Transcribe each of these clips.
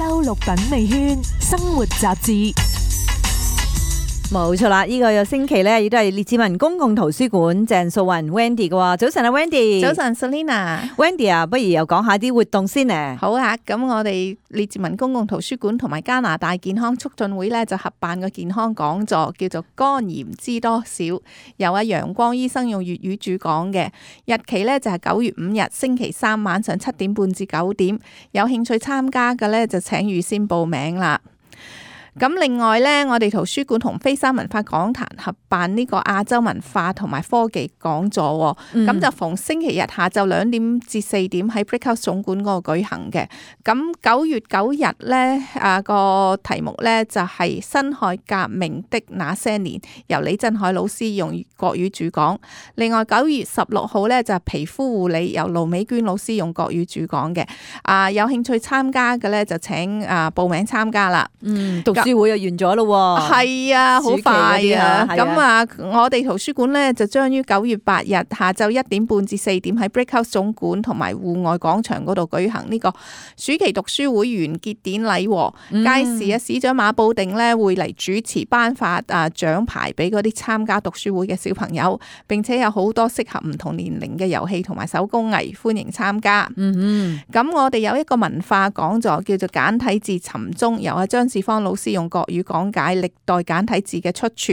周六品味圈生活雜誌。冇錯啦，呢個有星期咧，亦都係列治文公共圖書館鄭素雲 Wendy 嘅喎。早晨啊 Wendy，早晨 Selina。Wendy 啊，不如又講下啲活動先咧。好啊，咁我哋列治文公共圖書館同埋加拿大健康促進會咧就合辦個健康講座，叫做肝炎知多少，由阿陽光醫生用粵語主講嘅。日期咧就係9月5日星期三晚上7點半至9點，有興趣參加嘅咧就請預先報名啦。咁另外咧，我哋圖書館同飛山文化講壇合辦呢個亞洲文化同埋科技講座，咁就逢星期日下晝2點至4點喺 Brickhouse 總館嗰度舉行嘅。咁9月9日咧，個題目咧就係辛亥革命的那些年，由李振海老師用國語主講。另外9月16號咧就係皮膚護理，由盧美娟老師用國語主講嘅。有興趣參加嘅咧就請報名參加啦。讀書會又完咗咯喎，係啊，好快啊！咁我哋圖書館咧就將於9月8日下晝1點半至4點喺 Brickhouse 總館同埋戶外廣場嗰度舉行呢個暑期讀書會完結典禮。屆時市長馬布定咧會嚟主持頒發獎牌俾嗰啲參加讀書會嘅小朋友，並且有好多適合唔同年齡嘅遊戲同埋手工藝，歡迎參加。咁我哋有一個文化講座叫做簡體字尋蹤，由阿張志芳老師用國語講解歷代簡體字嘅出處。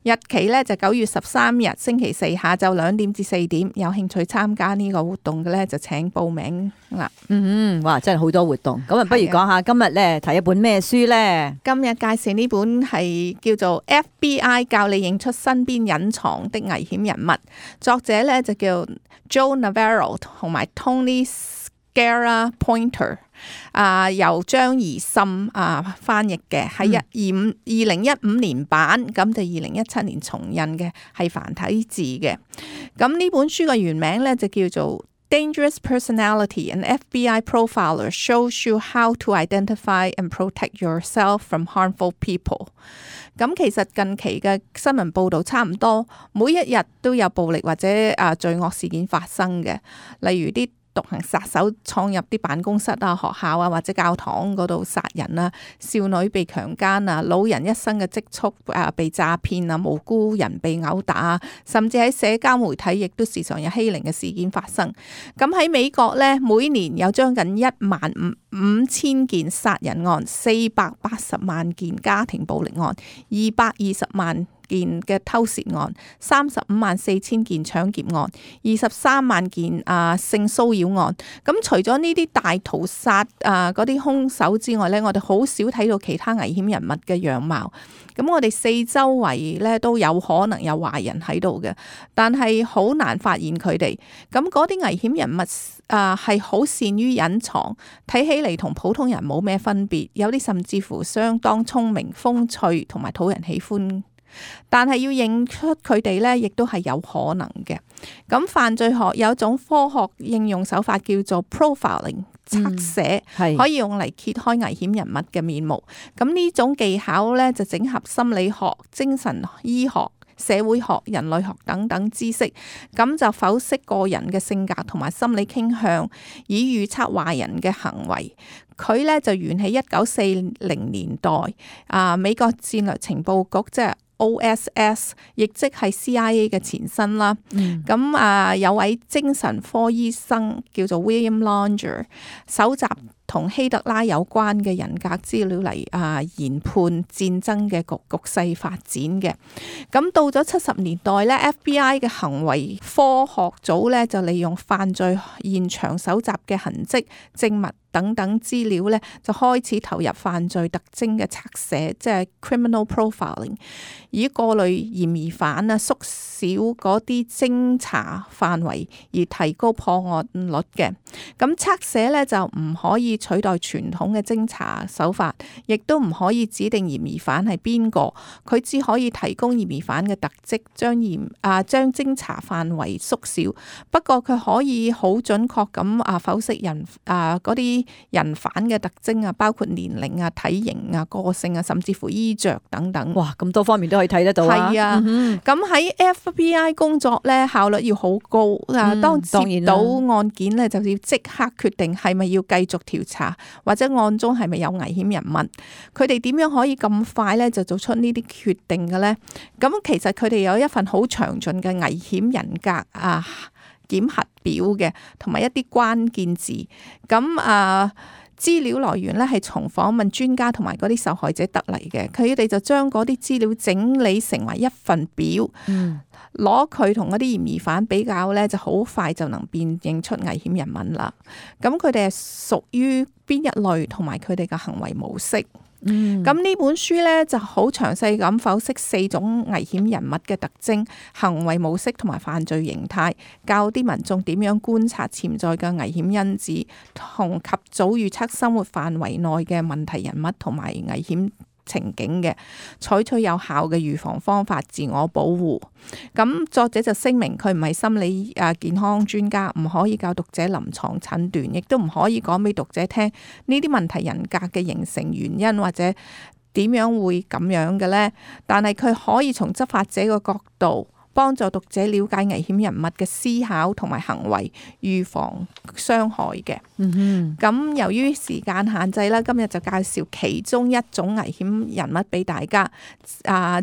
日期咧就9月13日星期四下晝2點至4點，有興趣參加呢個活動嘅咧就請報名啦。哇，真係好多活動。咁不如講下今日咧睇一本咩書咧？今日介紹呢本係叫做 FBI 教你認出身邊隱藏的危險人物，作者咧就叫 Joe Navarro 同埋 Tony Scarra Pointer。由張怡森翻譯嘅，係2015年版，咁就2017年重印嘅，係繁體字嘅。咁呢本書嘅原名咧就叫做 Dangerous Personality, an FBI Profiler Shows You How to Identify and Protect Yourself from Harmful People。咁其實近期嘅新聞報導差唔多，每一日都有暴力或者罪惡事件發生嘅，例如啲獨行殺手闖入啲辦公室學校或者教堂嗰度殺人啊，少女被強姦啊，老人一生嘅積蓄被詐騙啊，無辜人被毆打，甚至喺社交媒體亦都時常有欺凌嘅事件發生。咁喺美國呢，每年有將近15000件殺人案，480萬件家庭暴力案，220萬件嘅偷竊案，354000件搶劫案，23萬件性騷擾案。咁除咗呢啲大屠殺嗰啲兇手之外呢，我哋好少睇到其他危險人物嘅樣貌。咁我哋四周圍咧都有可能有壞人喺度嘅，但係好難發現佢哋。咁嗰啲危險人物係好善於隱藏，睇起嚟同普通人冇咩分別，有啲甚至乎相當聰明、風趣同埋討人喜歡。但係要認出佢哋呢，亦都係有可能嘅。咁犯罪學有一種科學應用手法叫做 profiling 側寫，可以用嚟揭開危險人物嘅面目。咁呢種技巧呢，就整合心理學、精神醫學、社會學、人類學等等知識，咁就剖析個人嘅性格同埋心理傾向，以預測壞人嘅行為。佢呢就源起1940年代，美國戰略情報局即係OSS， 亦即係 CIA 嘅前身啦。咁有位精神科醫生叫做 William Longer， 搜集同希特拉有關嘅人格資料嚟研判戰爭嘅局勢發展嘅。咁到咗70年代咧 ，FBI 嘅行為科學組咧就利用犯罪現場搜集嘅痕跡、證物等等資料咧，就開始投入犯罪特徵嘅側寫，即係 criminal profiling， 以過濾嫌疑犯縮小嗰啲偵查範圍，而提高破案率嘅。咁側寫咧就唔可以取代傳統嘅偵查手法，亦都唔可以指定嫌疑犯係邊個，佢只可以提供嫌疑犯嘅特質，將偵查範圍縮小。不過佢可以好準確咁剖析人嗰啲人犯嘅特徵包括年齡體型個性甚至乎衣着等等。哇，咁多方面都可以睇得到啊！係啊，咁喺 FBI 工作咧效率要好高。當接到案件咧，就要即刻決定係咪要繼續調調查，或者案中係咪有危險人物？佢哋點樣可以咁快咧就做出呢啲決定嘅咧？咁其實佢哋有一份好詳盡嘅危險人格檢核表嘅，同埋一啲關鍵字。咁資料來源咧係從訪問專家同埋嗰啲受害者得嚟嘅，佢哋就將嗰啲資料整理成為一份表，攞佢同嗰啲嫌疑犯比較咧，就好快就能辨認出危險人物啦。咁佢哋係屬於邊一類，同埋佢哋嘅行為模式。咁呢本書咧就好詳細咁剖析4種危險人物嘅特徵、行為模式同埋犯罪形態，教啲民眾點樣觀察潛在嘅危險因子，同及早預測生活範圍內嘅問題人物同埋危險情景嘅，採取有效嘅預防方法，自我保護。咁作者就聲明佢唔係心理健康專家，唔可以教讀者臨床診斷，亦都唔可以講俾讀者聽呢啲問題人格嘅形成原因或者點樣會咁樣嘅呢。但係佢可以從執法者嘅角度幫助讀者了解危險人物嘅思考同埋行為，預防傷害嘅。咁由於時間限制啦，今日就介紹其中一種危險人物俾大家，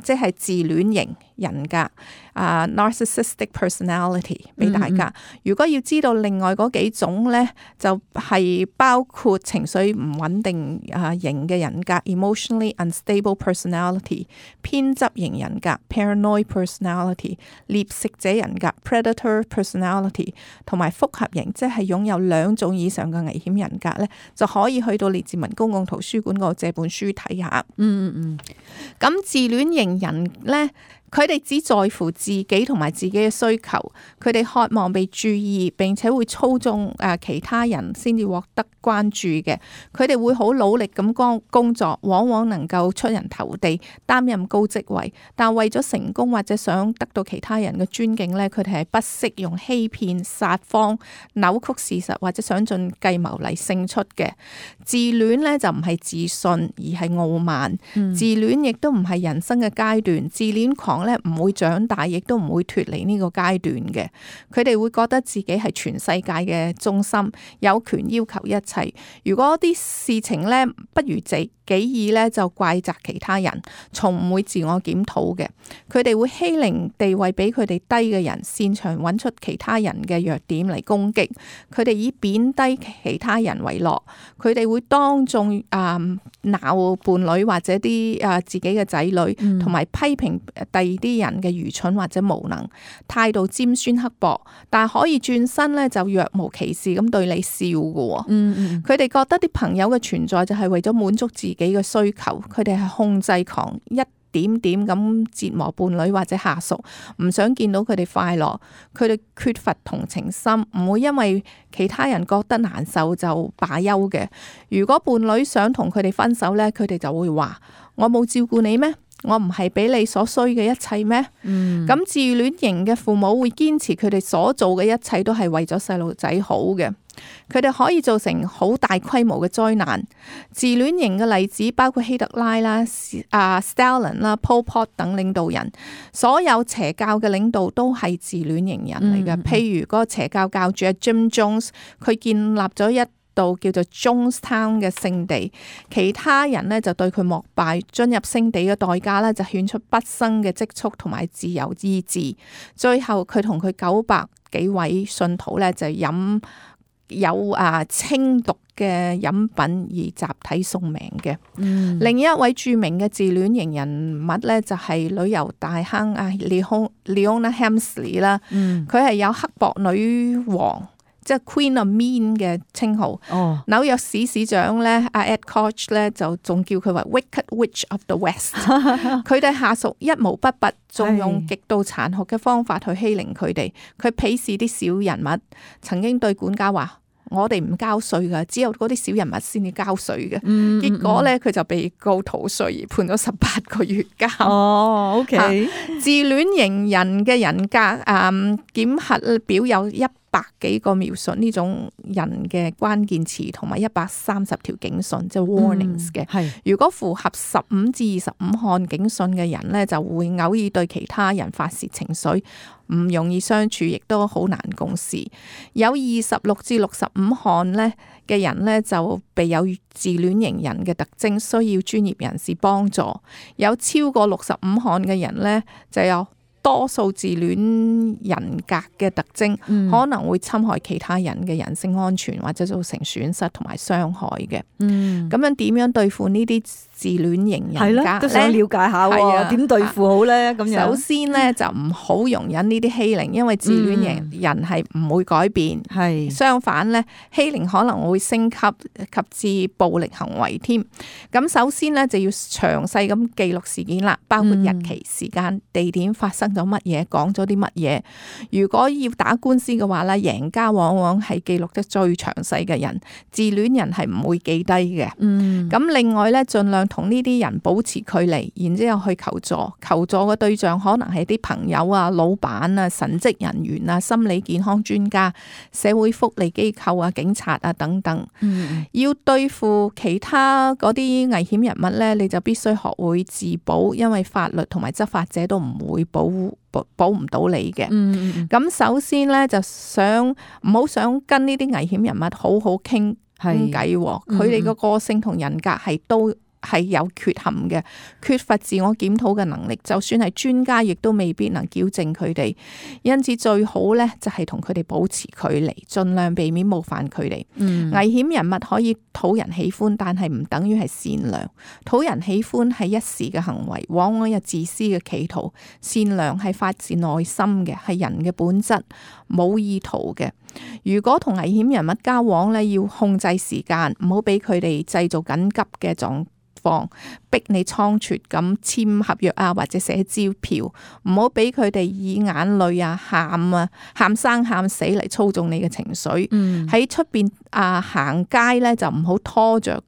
即係自戀型人格，narcissistic personality 俾大家。如果要知道另外嗰幾種呢，就係包括情緒唔穩定型嘅人格 emotionally unstable personality， 偏執型人格 paranoid personality， 獵食者人格 predator personality， 同埋複合型，即係擁有2種以上嘅危險人格呢，就可以去到列治文公共圖書館嗰度借本書睇下。咁自戀型人呢，佢哋只在乎自己同埋自己嘅需求，佢哋渴望被注意，並且會操縱其他人先至獲得關注嘅。佢哋會好努力咁工作，往往能夠出人頭地，擔任高職位。但為咗成功或者想得到其他人嘅尊敬呢，佢哋係不惜用欺騙、撒謊、扭曲事實或者想盡計謀嚟勝出嘅。自戀呢，就唔係自信，而係傲慢。自戀亦都唔係人生嘅階段，自戀狂咧唔會長大，亦都唔會脫離呢個階段嘅。佢哋會覺得自己係全世界嘅中心，有權要求一切。如果啲事情咧不如己意咧，就怪責其他人，從唔會自我檢討嘅。佢哋會欺凌地位比佢哋低嘅人，擅長揾出其他人嘅弱點嚟攻擊。佢哋以貶低其他人為樂。佢哋會當眾鬧伴侶或者啲自己嘅仔女，同埋批評第二啲人嘅愚蠢或者無能，態度尖酸刻薄，但係可以轉身咧就若無其事咁對你笑嘅。佢哋覺得啲朋友嘅存在就係為咗滿足自己嘅需求，佢哋係控制狂，一點點咁折磨伴侶或者下屬，唔想見到佢哋快樂。佢哋缺乏同情心，唔會因為其他人覺得難受就罷休嘅。如果伴侶想同佢哋分手呢，佢哋就會話：我冇照顧你咩？我唔係俾你所需嘅一切咩？咁自戀型嘅父母會堅持佢哋所做嘅一切都係為咗細路仔好嘅。佢哋可以造成好大規模嘅災難。自戀型嘅例子包括希特拉啦、Stalin 啦、Pol Pot 等領導人。所有邪教嘅領導都係自戀型人嚟嘅。譬如嗰個邪教教主 Jim Jones， 佢建立咗一度叫做 Jonestown 嘅聖地，其他人呢就對佢膜拜。進入聖地嘅代價呢就獻出畢生嘅積蓄同埋自由意志。最後佢同佢900幾位信徒呢就飲有清毒嘅飲品而集體送命嘅。另一位著名嘅自戀型人物呢，就係旅遊大坑Leona Helmsley 啦。佢係有刻薄女王，即係 Queen of Mean 嘅稱號。紐約市市長咧Ed Koch 咧就仲叫佢為 Wicked Witch of the West。佢哋下屬一毛不拔，仲用極度殘酷嘅方法去欺凌佢哋。佢鄙視啲小人物，曾經對管家話：我哋唔交稅噶，只有嗰啲小人物先至交稅嘅。結果咧，佢就被告逃稅而判咗18個月監。OK。自戀型人嘅人格檢核表有100 100幾個描述呢種人嘅關鍵詞，同埋130條警訊，即係 warnings 嘅。係如果符合15至25項警訊嘅人呢，就會偶爾對其他人發洩情緒，唔容易相處，亦都好難共事。有26至65項呢嘅人呢，就備有自戀型人嘅特徵，需要專業人士幫助。有超過65項嘅人呢，就有多數自戀人格嘅特徵，可能會侵害其他人嘅人身安全，或者造成損失同埋傷害嘅。咁樣點樣對付呢啲自戀型人格呢？都想了解下喎，點對付好呢？咁樣首先呢，就唔好容忍呢啲欺凌，因為自戀型人係唔會改變，相反呢，欺凌可能會升級及至暴力行為添。咁首先呢，就要詳細咁記錄事件啦，包括日期、時間、地點發生咗乜嘢，講咗啲乜嘢。如果要打官司嘅話咧，贏家往往係記錄得最詳細嘅人，自戀人係唔會記低嘅。咁另外咧，盡量同呢啲人保持距離，然之後去求助。求助嘅對象可能係啲朋友啊、老闆啊、神職人員啊、心理健康專家、社會福利機構啊、警察啊等等。要對付其他嗰啲危險人物咧，你就必須學會自保，因為法律同埋執法者都唔會保唔到你嘅。咁首先咧，就唔好想跟呢啲危險人物好好傾偈。佢哋個個性同人格都係有缺陷嘅，缺乏自我檢討嘅能力，就算係專家亦都未必能矯正佢哋。因此最好咧，就係同佢哋保持距離，盡量避免冒犯佢哋。危險人物可以討人喜歡，但係唔等於係善良。討人喜歡係一時嘅行為，往往有自私嘅企圖。善良係發自內心嘅，係人嘅本質，冇意圖嘅。如果同危險人物交往咧，要控制時間，唔好俾佢哋製造緊急嘅狀況，逼你倉促咁簽合約啊，或者寫支票，唔好俾佢哋以眼淚啊、喊生喊死嚟操縱你嘅情緒。喺出邊行街咧，就唔好拖着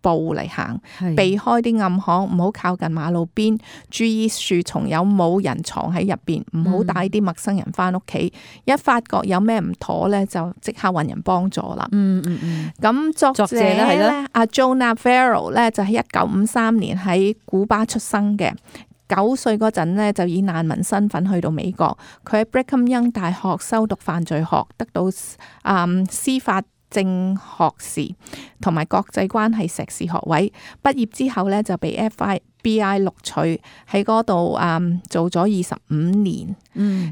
步嚟行，避開啲暗巷，唔好靠近馬路邊，注意樹叢有冇人藏喺入邊，唔好帶啲陌生人翻屋企。一發覺有咩唔妥咧，就即刻搵人幫助啦。咁作者咧，阿 Joe Navarro 咧，就喺1953年喺古巴出生嘅。9歲嗰陣呢，就以難民身份去到美國。佢喺 Brigham Young 大學修讀犯罪學，得到司法正學士同埋國際關係碩士學位。畢業之後呢，就被 FBI 錄取，喺嗰度做咗25年。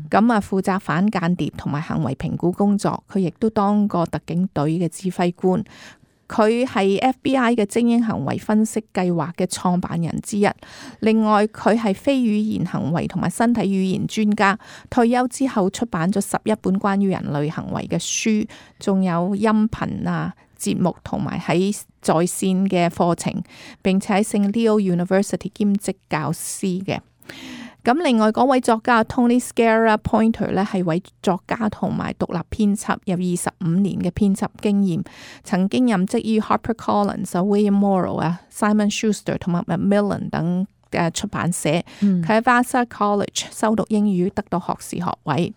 咁負責反間諜同埋行為評估工作。佢亦都當過特警隊嘅指揮官。佢係 FBI 嘅精英行為分析計劃嘅創辦人之一。另外，佢係非語言行為同埋身體語言專家。退休之後出版咗11本關於人類行為嘅書，仲有音頻節目同埋喺在線嘅課程，並且喺聖 Leo University 兼職教師嘅。咁另外嗰位作家 Tony Sciarra Pointer 咧，係位作家同埋獨立編輯，有25年嘅編輯經驗，曾經任職於 HarperCollins、William Morrow、Simon Schuster 同埋 Macmillan 等嘅出版社。佢喺 Vassar College 修讀英語，得到學士學位。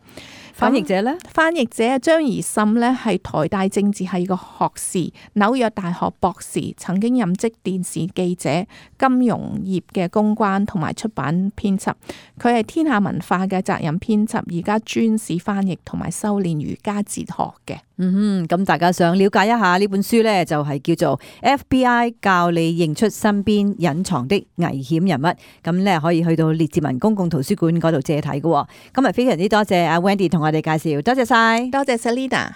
翻譯者呢？翻譯者張怡滲呢，係台大政治系個學士，紐約大學博士，曾經任職電視記者、金融業嘅公關同埋出版編輯。佢係天下文化嘅責任編輯，而家專事翻譯同埋修煉儒家哲學嘅。咁大家想了解一下呢本書呢，就係叫做 FBI 教你認出身邊隱藏的危險人物。咁呢，可以去到列治文公共圖書館嗰度借睇嘅。今日非常之多謝阿 Wendy 同我哋介紹，多謝晒，多謝 Selina。